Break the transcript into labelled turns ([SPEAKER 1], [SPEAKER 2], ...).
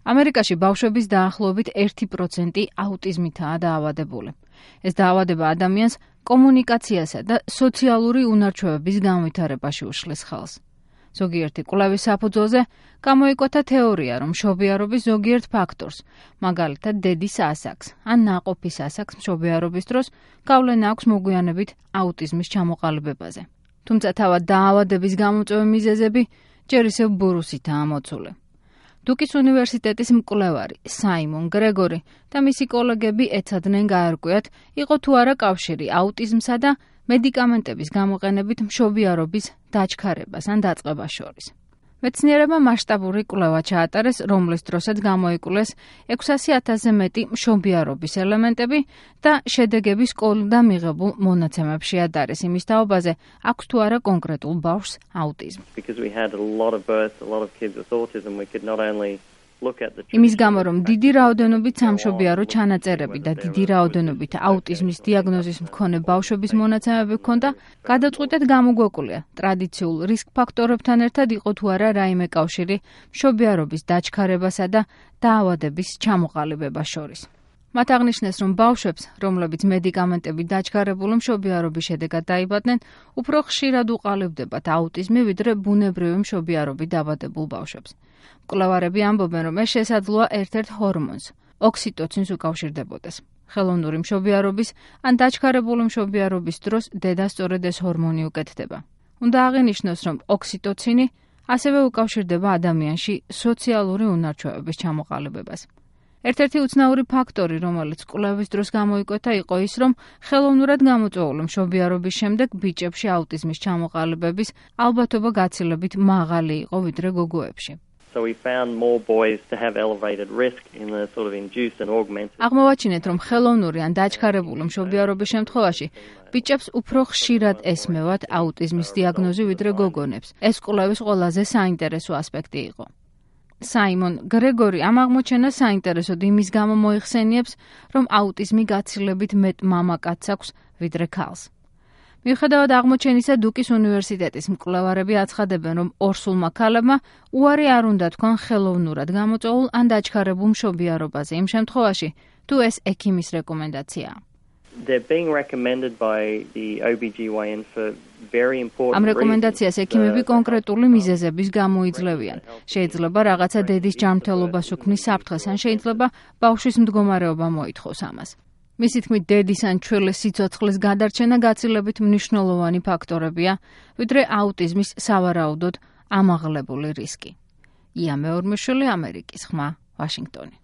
[SPEAKER 1] ამერიკაში ბავშვების დაახლოებით 1% აუტიზმითაა დაავადებული. ეს დაავადება ადამიანს კომუნიკაციასა და სოციალური უნარჩვევების განვითარებაში უშლის ხელს. ზოგიერთი კვლევის საფუძველზე გამოიკვეთა თეორია, რომ მშობიარობის ზოგიერთ ფაქტორს, მაგალითად დედის ასაკს ან ნაყოფის ასაკს მშობიარობის დროს გავლენა აქვს მოგვიანებით აუტიზმის ჩამოყალიბებაზე. თუმცა თავად დაავადების გამოწვევი მიზეზები ჯერ ისევ ბურუსითაა მოცული. დუკის უნივერსიტეტის მკვლევარი საიმონ გრეგორი და მისი კოლეგები ეცადნენ გაერკვიათ, იყო თუ არა კავშირი აუტიზმსა და მედიკამენტების გამოყენებით მშობიარობის დაჩქარებას ან დაწყებას შორის. მეცნიერებმა მასშტაბური კვლევა ჩაატარეს, რომლის დროსაც გამოიკვლეს 600,000-ზე მეტი მშობიარობის ელემენტები და შედეგები სკოლიდან მიღებულ მონაცემებში ადარეს იმის თაობაზე, აქვს თუ არა კონკრეტულ ბავშვს აუტიზმი. იმის გამო, რომ დიდი რაოდენობით სამშობიარო ჩანაწერები და დიდი რაოდენობით აუტიზმის დიაგნოზის მქონე ბავშვების მონაცემები ჰქონდა, გადაწყვიტეთ გამოგვეკვლია ტრადიციულ რისკ ფაქტორებთან ერთად იყო თუ არა რაიმე კავშირი მშობიარობის დაჩქარებასა და დაავადების ჩამოყალიბებას შორის. მათ აღნიშნეს, რომ ბავშვებს, რომლებიც მედიკამენტებით დაჩქარებული მშობიარობის შედეგად დაიბადნენ, უფრო ხშირად უყალიბდებათ აუტიზმი, ვიდრე ბუნებრივი მშობიარობით დაავადებულ ბავშვებს. მკვლევარები ამბობენ, რომ ეს შესაძლოა ერთ-ერთ ჰორმონს, ოქსიტოცინს უკავშირდებოდეს. ხელოვნური მშობიარობის ან დაჩქარებული მშობიარობის დროს დედა სწორედ ეს ჰორმონი უკეთდება. უნდა აღინიშნოს, რომ ოქსიტოცინი ასევე უკავშირდება ადამიანში სოციალური უნარჩვევების ჩამოყალიბებას. ერთ-ერთი უცნაური ფაქტორი, რომელიც კვლევის დროს გამოიკვეთა, იყო ის, რომ ხელოვნურად გამოწვეული მშობიარობის შემდეგ ბიჭებში აუტიზმის ჩამოყალიბების ალბათობა გაცილებით მაღალი იყო ვიდრე გოგოებში. აღმოვაჩინეთ, რომ ხელოვნური ან დაჩქარებული მშობიარობის შემთხვევაში ბიჭებს უფრო ხშირად ესმევათ აუტიზმის დიაგნოზი ვიდრე გოგონებს. ეს კვლევის ყველაზე საინტერესო ასპექტი იყო. საიმონ გრეგორი ამ აღმოჩენას საინტერესოდ იმის გამო მოიხსენიებს, რომ აუტიზმი გაცილებით მეტ მამაკაცს აქვს ვიდრე ქალს. მიუხედავად აღმოჩენისა, დუკის უნივერსიტეტის მკვლევარები აცხადებენ, რომ ორსულმა ქალებმა უარი არ უნდა თქვან ხელოვნურად გამოწვეულ ან დაჩქარებულ მშობიარობაზე იმ შემთხვევაში, თუ ეს ექიმის რეკომენდაციაა. ამ რეკომენდაციას ექიმები კონკრეტული მიზეზების გამო იძლევიან. შეიძლება რაღაცა დედის ჯანმრთელობას უქმნის საფრთხეს, ან შეიძლება ბავშვის მდგომარეობა მოითხოვს ამას. მისი თქმით, დედის ან ჩვეულის სიცოცხლის გადარჩენა გაცილებით მნიშვნელოვანი ფაქტორებია, ვიდრე აუტიზმის სავარაუდოდ ამაღლებული რისკი. ია მეორმეშვილი, ამერიკის ხმა, ვაშინგტონი.